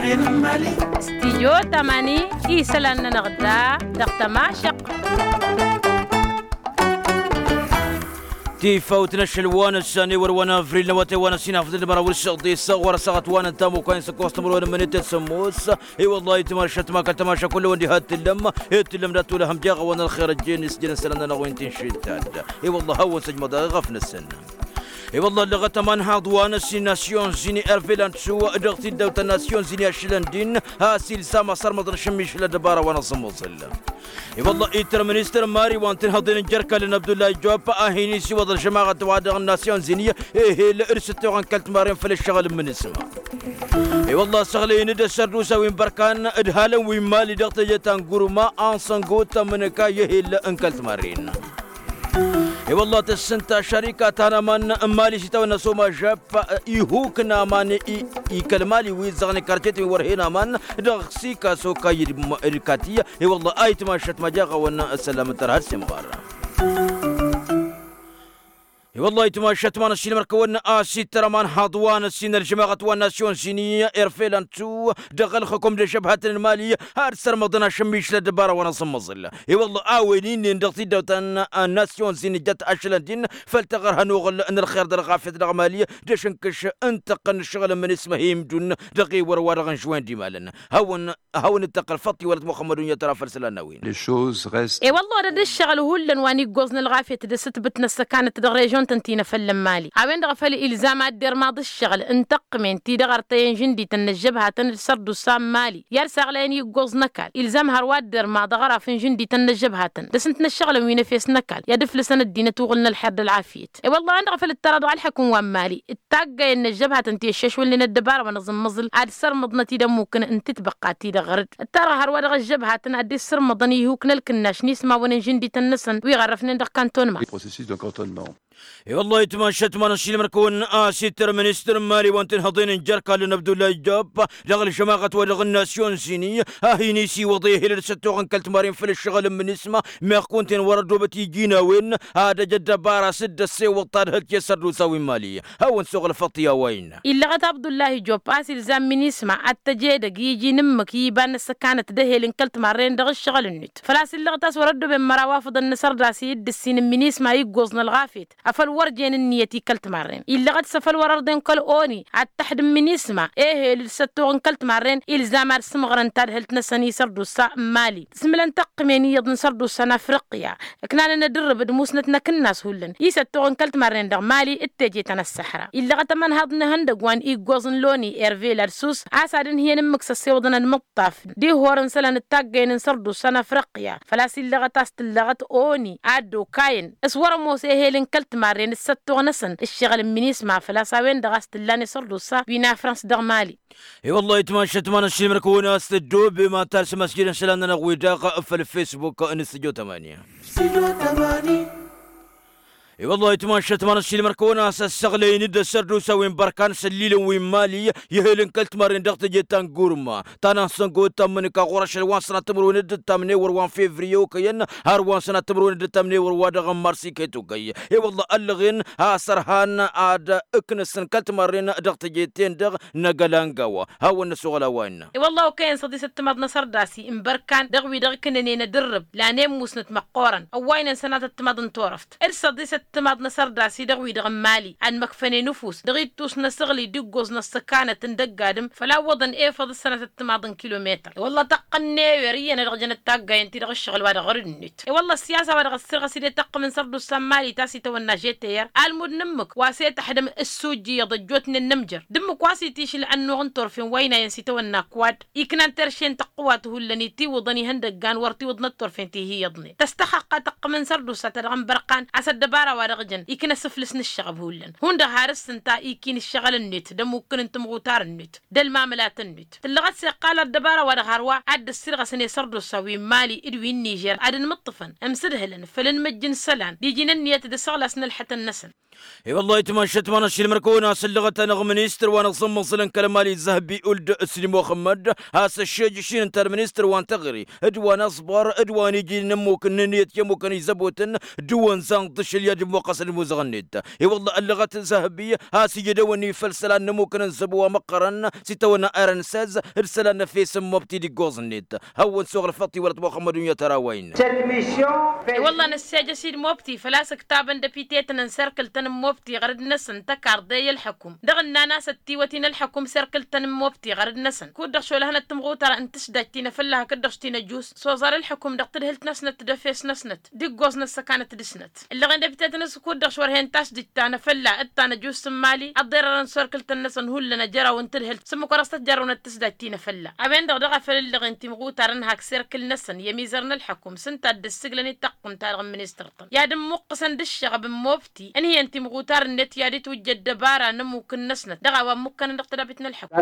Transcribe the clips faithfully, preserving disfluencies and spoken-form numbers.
Stijyo tamani isălan-nănăɣ da dăɣ-tămašăq. Tifawt n-ašăl wa n-ăssan i-wăr wa n-avril n-awătay wa n-ăssinafăt d-măraw d-săḍis ɣur-ăssaɣăt wa n-ăntamukay n-săkkoẓ timǝrwen n-imǝnit d-sămmos. I-wăllah itmašăt ma kăl-tămaša kull-wăn diha t-tǝllăm. T-tǝllăm d-ad-tulăhăm jeɣ a-wa n-ălxer ăjjeen s-jăn isălan-nănăɣ wi n-tinšit-ta-dd. I-wăllah a-wen săjmăḍ a iɣăf-năsăn. I-wăllah ăllăɣăt ămanhaḍ wa n-ăssin nasyon zini ervelan su dăɣ-tiddawt ta n-nasyon zini ašlăn din. Has-ilsam asărmăḍ n-ašǝmmišǝl ăddăbara wa n-aẓǝmmăẓǝl. I-wăllah ittăr ministăr mari wa n-tinhăḍen n-jer-kallăn abdullahi job a hin-isiwăḍ ălžămaɣăt wa dăɣ-n-nasyon zini ehel d-sǝttoɣăn kăl-timarren făll-ǝššăɣǝl n-imǝnǝsma. I-wăllah săɣlăyăn-dd ăssărdusa wi n-bărkan d-halăn wi n-mali dăɣ-teje ta n-gurma a n-săngut tămǝnǝka i-ehel n-kăl-timarren. I-wăllah tǝssǝnta šărika ta n-aman n-mali s-itawănna s-omažăp ihuk n-aman i-kăl-mali wi ǝzzăɣnen karcetăn wi wăr hen aman dăɣ-sika s-okayy d-kati. I-wăllah a itmašăt ma jaɣ-awăn ăssălam n-tărha d-semɣar. I-wăllah itmašăt ma n-ăssinămăr-kăwăn a-s ittăr ămanhaḍ wa n-ăssin ălžămaɣăt wa n-nasyon zini erfelan tu dăɣ-ălxăkom d-ăžžăbhatăn n-mali ad-sărmăḍăn ašămmišǝl ăddăbara wa n-aẓǝmmăẓǝl. I-wălla a-wen inn'-en dăɣ-tiddawt ta n-nasyon zini jăt ašălăn din făll-taɣărha n-oɣǝl n-ălxer d-ălɣafyăt dăɣ-mali d-ašǝnkǝš n-tăqqăn n-ǝššăɣǝl n-imǝnǝsma hi-imdun dăɣ-ewăr wa dăɣ-n žwen d-imalăn. Hawăn-dd-tăqqăl făṭṭi wăla t-muxămmăd unyăt ăra făll-isălan n-a-wen. I-wălla odăd ǝššăɣǝl hullan wa n-iggoẓ n-ălɣafyăt d-asǝtbǝt n-ăssăkanăt dăɣ-režon-tăn ti n-afăl n-mali a-wen-dăɣ a făl ilzam ad-dermaḍ ǝššăɣǝl n-tăqqǝmen ti-dăɣ ărtăyăn žǝndităn n-ăžžăbhatăn d-sărdusa n-mali i-ad-saɣlayăn iggoẓ n-ăkall. Ilzam hărwa ad-dermaḍ aɣraf n-žǝndităn n-ăžžăbhatăn d-asǝntǝn ăššăɣǝlăn wi n-efes n-ăkall i-ad-ǝflǝsăn ăddinăt uɣǝl n-ălxer d-ălɣafyăt. I-wălla a-wen-dăɣ a făl ǝttăra dăɣ-ălḥăkǝm wa n-mali d-taggayăn n-ăžžăbhatăn ti ăššăšwălnen ăddăbara wa n-aẓǝmmăẓǝl ad-sărmăḍnăt-dd ămmukǝn n-titbăqqa-ti-dăɣ ɣăr-dd ǝttarăɣ hărwa dăɣ-ăžžăbhatăn ad-dd-issărmăḍăn ihuk n-ălkǝnnaš n-ismawăn n-žǝndităn-năsăn wi ɣărrăfnen dăɣ-kantonma. I-wăllah itmašat ma n-ăššilmăr-kăwăn a-s ittăr ministăr n-mali wa n-tinhăḍen n-jer-kallăn abdullah ijab dăɣ-ălžămaɣăt wa dăɣ-n nasyon zini a hin-isiwăḍ ehel d-săttoɣ n-kăl-timarin făll-ǝššăɣǝl n-imǝnǝsma. Meɣ kunta-en wăr-ăddobăt iji n-a-wen ad-ăj ăddăbara s-dd-ăssewăḍ tadhǝlt i-sărdusa wi n-mali. Hawăn-suɣǝl făṭṭi a-wa innă. Illăɣăt abdullah ijop a-s ilzam n-imǝnǝsma ad-tăj edăgg i-iji n-ǝmmǝk i-iba n-ăssăkanăt d-ehel n-kăl-timarren dăɣ-ǝššăɣǝl-net făl-a-s illăɣăt a-s wăr-ăddoben măraw afǝḍăn n-asărdas i-dd-ǝssin n-imǝnǝsma iggoẓ n-ălɣafyăt afăl wăr jen ǝnniyăt i-kăl-timarren. Illăɣăt s-afăl wăr-ărḍen kăl-oni ad-tăḥdǝm imǝnǝsma ehel d-săttoɣ n-kăl-timarren ilzam ad-sǝmɣărăn tadhǝlt-năsăn i-sărdusa n-mali. Tǝsmǝlăn tăqqǝmen iyyăḍ n-sărdusa n-afriqya ǝknanăn adǝrrǝb d-musnăt n-akǝnnas hullan i-săttoɣ n-kăl-timarren dăɣ-mali d-teje ta n-ăssăḥra. Illăɣăt ămănhaḍ n-ehăndăgg wa n-iggoẓ n-loni ervelad sus a-s ad-ǝnhǝyăn ǝmmǝk s-ăssewăḍăn ănmǝṭṭaf d-ihor n-isălan d-taggăyăn n-sărdusa n-afriqya. Făl-a-s illăɣăt a-s tǝllăɣăt oni ad-dd-okayăn s-wăr-ămoos ehel n-kăl-timarren d-săttoɣ-năsăn ǝššăɣǝl n-minisma făl-a-s a-wen-dăɣ a-s tǝllan isărdusa wi n-afrans dăɣ-mali. I-wăllah itmašat ma n-ăššilmăr-kăwăn a-s tăddoobem ad-talsăm asjăd n-isălan-nănăɣ wi daɣ făll-fesbuk n-studio tămani. I-wăllah itmašat ma n-ăššilmăr-kăwăn a-s ăssăɣlăyăn-dd ăssărdusa wi n-bărkan s-ăllilăn wi n-mali i-ehel n-kăl-timarren dăɣ-teje ta n-gurma ta n-ansăngo d-tammǝnǝka ɣur-ašăl wa n-sănat timǝrwen d-ǝttamnen wăr wa n-fevriye okăyăn har wa n-sănat timǝrwen d-ǝttamnen wăr wa dăɣ-n mars iket okăy. I-wăllah ăllăɣen a-s ărhan ad-ǝknǝsăn kăl-timarren dăɣ-teje-ten-dăɣ n-agălangawa. Hawăn-năsoɣăl a-wa innă. I-wăllah okăyăn săḍisăt timaḍ n-asărdas n-bărkan dăɣ-wi-dăɣ ǝknǝnen adǝrrǝb lanen musnăt măqqoorăn ăwwaynen sănatăt timaḍ n-turăft d-săḍisăt timaḍ n-asărdas-i dăɣ-wi-dăɣ n-mali ad-măkfănen ǝfus dăɣ-ittus n-asăɣli d-iggoẓ n-ăssăkanăt n-dăgg-adǝm făl-a ǝwwăḍăn efăḍ s-sănatăt timaḍ n-kilometăr. I-wălla tăqqăn n-ewer iyyăn ad-dăɣ-jănăt taggayen-ti-dăɣ ǝššăɣǝl wa dăɣ-ɣărǝd-net. I-wălla ăssiyasa wa dăɣ-ăssirɣăs-dd i-taqqǝm n-sărdusa n-mali ta s-itawănna žeteyer almud n-ǝmmǝk wa s-e-tăḥdăm ǝssujjǝyăḍ ăjjootnen n-amjăr d-ǝmmǝk wa s-itišǝl ănnuɣ n-turfen wa ăynayăn s-itawănna kǝwad iknan terše n-tăqqǝwat hullan itiwǝḍăn ihăndăggan wăr tiwǝḍnăt turfen ti hi-iyyăḍnen tăstăxăqqa tăqqǝm n-sărdusa ta dăɣ-n bărqan a-s ăddăbara wa dăɣ-jăn ikna asǝflǝs n-ǝššăɣăb hullan hundăɣ har s-ǝnta iki n-ǝššăɣǝl-net d-amukkǝn n-timɣutar-net d-ălmamǝlat-net. Tǝllăɣăt s-iqqal ăddăbara wa dăɣ-hărwa ad-dd-ăssirɣăsăn i-sărdusa wi n-mali d-wi n-nižer ad-ǝnmǝṭṭǝfăn ǝmsǝdhǝlăn făll-inmǝjj n-isălan d-iji n-ǝnniyăt d-isăɣlas n-ălḥătăn-năsăn. I-wăllah itmašat ma n-ašilmăr-kăwăn a-s ăllăɣăt-anăɣ ministăr wa n-aẓǝmmăẓǝl n-kăl-mali zăhbi uld-sǝli muxămmăd has-ăššejăš-in ǝnta d-ministăr wa n-teɣăre d-wa n-aẓbăr d-wa n-iji n-ămmukăn n-ǝnniyăt i-ămmukăn izăbotăn d-iwănza n-iḍǝšǝl i-ad Muqqăs d-imuzăɣ-net i-wălla ăllăɣăt zăhăbi has-ijădăwăn ifăl isălan n-ămmukăn n-zăbo wa măqqărăn s-itawănna arănsăz d-isălan n-efes n-mobti d-iggoẓ-net. Hawăn-suɣ ălfăṭṭi wălăt muxămmăd unyăt ărawăyăn. I-wălla năssejăs-dd mobti făl-a-s ǝktabăn dăpitetăn n-serkǝl-tăn n-mobti ɣărăd-năsăn tăkarḍe i-ălḥăkum dăɣ-ǝnnan a-s ăttiwăt-in ălḥăkum serkǝl-tăn n-mobti ɣărăd-năsăn kud-dăɣ šolăhănăt timɣutar n-tǝsdajt ti n-afălla hakd-dăɣ s-ti n-ăjus s-oẓar ălḥăkum dăɣ-tadhǝlt-năsnăt d-efes-năsnăt d-iggoẓ-năsăn ăkanăt dăɣ-snăt. Ǝllăɣen dăbitătăn s-kud-dăɣ šorhen tasdǝjt ta n-afălla d-ta n-ăjus n-imali ăḍḍerărăn s-orkǝl-tăn-năsăn hullan ăjrăwăn tadhǝlt s-ǝmmǝk wăr-s tăt-jarrăwnăt tǝsdajt ti n-afălla. A-wen-dăɣ daɣ a făl ǝllăɣen timɣutarăn hak serkǝl-năsăn i-ămizăr n-ălḥăkum s-ǝnta a dd-ǝssǝglăn-dd taqqǝmt-ta-dăɣ n-ministăr-tăn i-ad-ǝmmuqqǝsăn d-ǝššăɣăb n-mobti ǝnhǝyăn timɣutarăn-net i-ad-itwǝjja ăddăbara n-ămmuk-năsnăt dăɣ-a-wa ămmukkanăn dăɣ-tădabit n-ălḥăkum.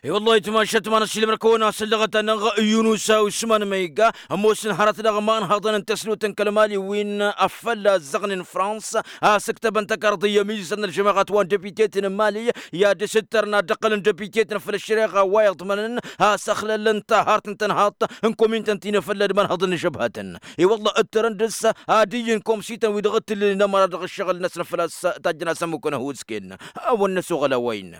I-wăllah itmašat ma n-ăssiilmăr kăwăn-asăllăɣăt-anăɣ yunusa usman ma iga ămoosăn hărăt dăɣ-imanhăḍăn n-tăsnut n-kăl-mali wi n-afălla ăzzăɣnen frans a-s ǝktăbăn tăkarḍi i-ămizăr n-ălžămaɣăt wa n-dăbitetăn n-mali i-ad-dăr-s ǝttărna dăɣ-kăl-n dăbitetăn făll-ăššăreɣa wa iḍmănăn a-s ăxlălăn tahart n-tănhaḍt n-komintăn ti n-afălla d-imanhăḍăn n-žăbhatăn. I-wălla ǝttărăn dăr-s ad-iyyǝn komsităn wi dăɣ-t-tǝllǝlăn ămăra dăɣ-ǝššăɣǝl-năsăn făl-a-s tajjăn-as ămmukăn ăhuusken. Hawăn-năsoɣăl a-wa innă.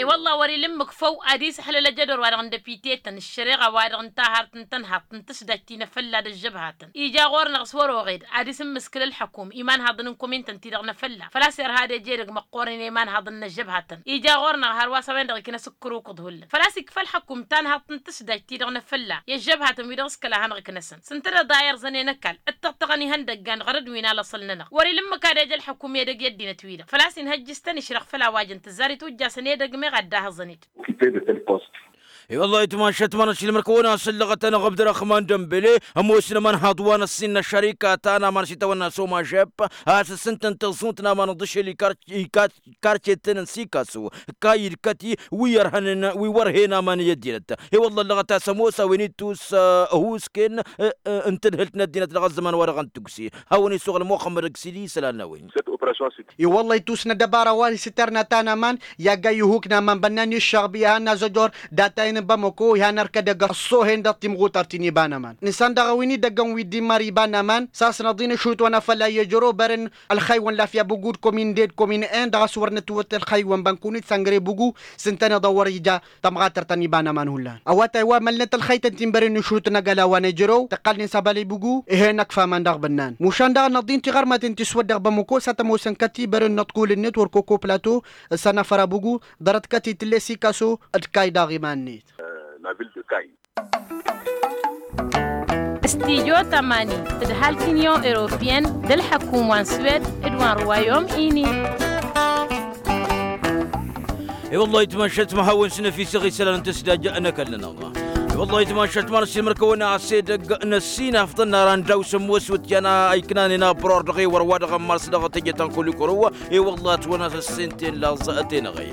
I-wălla wăr-ila ǝmmǝk făw ad-isăḥlăl ejădor-wa-dăɣ n-dăpitetăn ǝššăreɣa-wa-dăɣ n-tahart n-tănhaḍt n-tǝsdajt ti n-afălla d-ăžžăbhatăn ija ɣur-năɣ s-wăr oɣed ad-isǝmmǝskǝl ălḥăkum imanhaḍăn n-komintăn-ti-dăɣ n-afălla făl-a-s irha ad-eje edăgg măqqoorăn i-imanhaḍăn n-ăžžăbhatăn ija ɣur-năɣ hărwa s-a-wen-dăɣ iknăs ǝkkăr ukǝḍ hullan făl-a-s ikfa ălḥăkum tanhaḍt n-tǝsdajt-ti-dăɣ n-afălla i-ăžžăbhatăn wi dăɣ-s kăla hanăɣ-iknăsăn s-ǝntăneḍ a irẓăn enăkall d-taɣtăɣăn ihăndăggan ɣărăd wi n-alăṣăl-nănăɣ wăr-ila ǝmmǝk ad-eja ălḥăkum edăgg i-ăddinăt-wi-dăɣ făl-a-s inhăjj s-tăn-išrăɣ făll-a-wa jăn tǝzzar itwǝjjasăn edăgg meɣ ad-dd-ahǝẓăn-dd. I-wăllah itmašat ma n-ăssiilmăr kăwăn-asăllăɣăt-anăɣ ăbdăraxman dămbele ămoosăn ămanhaḍ wa n-ăssinnă ăššărika ta n-aman s-itawănna somažep a-s ǝssǝntăn tăẓẓunt n-aman ǝḍǝšel ikarcetăn n-sikasu kayy d-kăti wi ărhănen wi wăr hen aman i-ăddinăt. I-wăllah ăllăɣăt a-s ămoos a-wen ittus ăhuusken n-tadhǝlt n-ăddinăt dăɣ-ăzzăman wa dăɣ-n tugse. Hawăn-isuɣǝl muxămmăd ăgg sidi isălan n-a-wen. I-wălla ittus n-ăddăbara wa s-itărna ta n-aman i-agga ihuk n-aman bănnan iššăɣb i-han n-azăjor data-in n-bamăko i-han ărkădăg ăṣṣohen dăɣ-timɣutăr ti n-iba n-aman nǝsan dăɣ-a-wen idăggăn wi dd-immăr iba n-aman s-asnăḍ-in ăšhut wa n-afălla i-ejăro bărăn ălxăywăn lafya bǝgu d-komin de d-komin en dăɣ-a-s wăr nǝtwǝt ălxăywăn bănkunit săngre bǝgu s-ǝntăneḍ a wăr-ija tămɣatăr ta n-iba n-aman hullan ăwătay wa mălnăt ălxăytăn ti n-bărăn n-išhut n-agăla wa n-ejărow tăqqalnen s-abal ibǝgu ih'-en ăkf aman dăɣ-bănnan mušan daɣ ănăḍ-in tiɣărmaten ti s-wăr dăɣ-bămăko s-ad-t-ămoosăn kăti bărăn n-ăṭkulǝn-net wăr koko plato s-anăfăr abǝgu ḍarăt kăti tǝlles ikaso d-kay daɣ iman-net. Stijo tămani tǝdhal t-inyon europiyăn d-ălḥăkum wa n-swed d-wa n-ruwayom ini. I-wăllah itmašat ma hawăn-snăfisăɣ isălan n-tǝsdaj n-ăkall-nănăɣ. I-wăllah itmašat ma n-ăssiilmăr kăwăn-as edăgg n-ăssinafḍăn n-aran daw-sămmos wǝtyan a iknanen abror dăɣ-ewăr wa dăɣ-ămmars dăɣ-teje ta n-kulikuru. I-wăllah ătwănna s-ăssenten laẓ tenăɣe.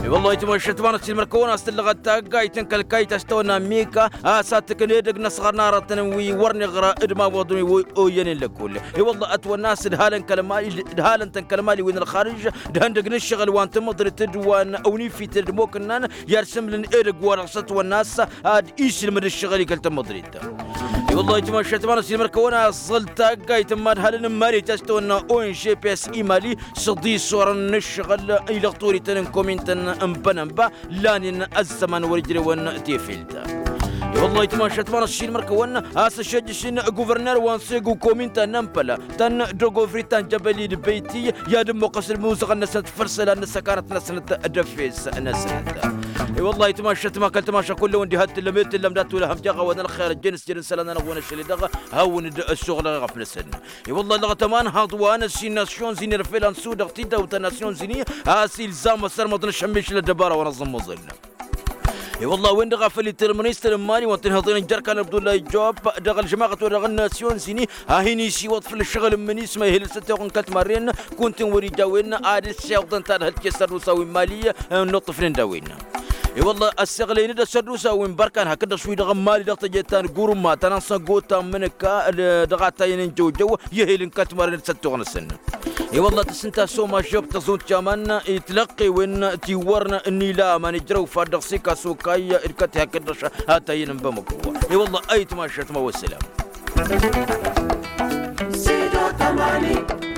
I-wăllah itmašat ma n-ăssiilmăr kăwăn-as tǝllăɣăt taggayt n-kăl-kayt a-s tăwănna mika a-s ad-tǝkna edăgg n-ăsɣăr n-aratăn wi wăr n-iɣra d-imawăḍăn wi oyyănen lăkkol. I-wăllah ătwănna a-s ǝdhalăn kăl-mali ǝdhalăn-tăn kăl-mali wi n-ălxarǝž d-ihăndăg n-ǝššăɣǝl wa n-tămăḍrit d-wa n-awnifităd d-imokǝnnan i-ad-sǝmlǝn edăgg wa dăɣ-s ătwănna a-s ad-isǝlmǝd ǝššăɣǝl i-kăl-tămăḍrit. I-wăllah itmašat ma n-ăssiilmăr kăwăn-aẓẓăl taggayt n-imadhalăn n-mali ta s-tăwănna ongps imali s-ăḍisorăn n-ǝššăɣǝl i-dăɣ-torităn n-komintăn n-bănănba lanen ăzzăman wăr-ijrewăn tefelt. I-wăllah itmašat ma n-ăssiilmăr kăwăn-aẓẓăl a-s ăššăjjăš n-guvărner wa n-segu kominta n-ămpăla ta n-dogofri ta n-jăbăli d-beyti i-ad-ǝmmuqqăs d-imuzăɣăn-năsnăt făll-isălan n-ăssăkanăt-năsnăt d-efes-năsnăt. I-wăllah itmašat ma kăl-tamaša kull-ewăn diha t-tǝllăm e tǝllăm dat-wăla hăm jaɣ-awăn ălxer ăjjăn s-jăr n-isălan-nănăɣ-wăn ašăl-i-dăɣ hawăn-dd-ăssuɣlăɣ ɣef-năsăn. I-wăllah ăllăɣăt ămanhăḍ wa n-ăssin nasyon zini irfelăn sudăɣ tidawt ta nasyon zini a-s ilzam ăssărmăḍ n-ašămmišǝl ăddăbara wa n-aẓǝmmăẓǝl. I-wăllah a-wen-dăɣ a făl itǝl ministăr n-imali wa n-tinhăḍen n-jer-kan abdullahi job dăɣ-ălžămaɣăt-wa-dăɣ n-nasyon zini a hin-isiwăḍ făll-ǝššăɣǝl n-minisma ihǝl s-ăttoɣ n-kătmarren kunta-in wăr-ija a-wen ad-ǝssewăḍăn tadhǝlt i-ăssărdusa wi n-imali n-inuṭṭǝfnen d-a-wen. I-wălla ăssiɣlăyăn-dd ăssărdusa wi n-bărkan hakd-dăɣ wi-dăɣ n-mali dăɣ-teje ta n-gurǝmma ta n-ansăngo ta n-imǝnǝka dăɣ-atayăn n-jăwjăw i-ehel n-kătmarren d-săttuɣ-năsăn. I-wălla tǝssǝnta s-omajjăw tăẓunt jaman i-tilăqqewen ti wăr n-ila aman ijrăw fad dăɣ-sikasu kayy d-kăti hakd-dăɣ atayăn n-bamăko. I-wălla ayǝtmašat ma wăssălam. Ămani.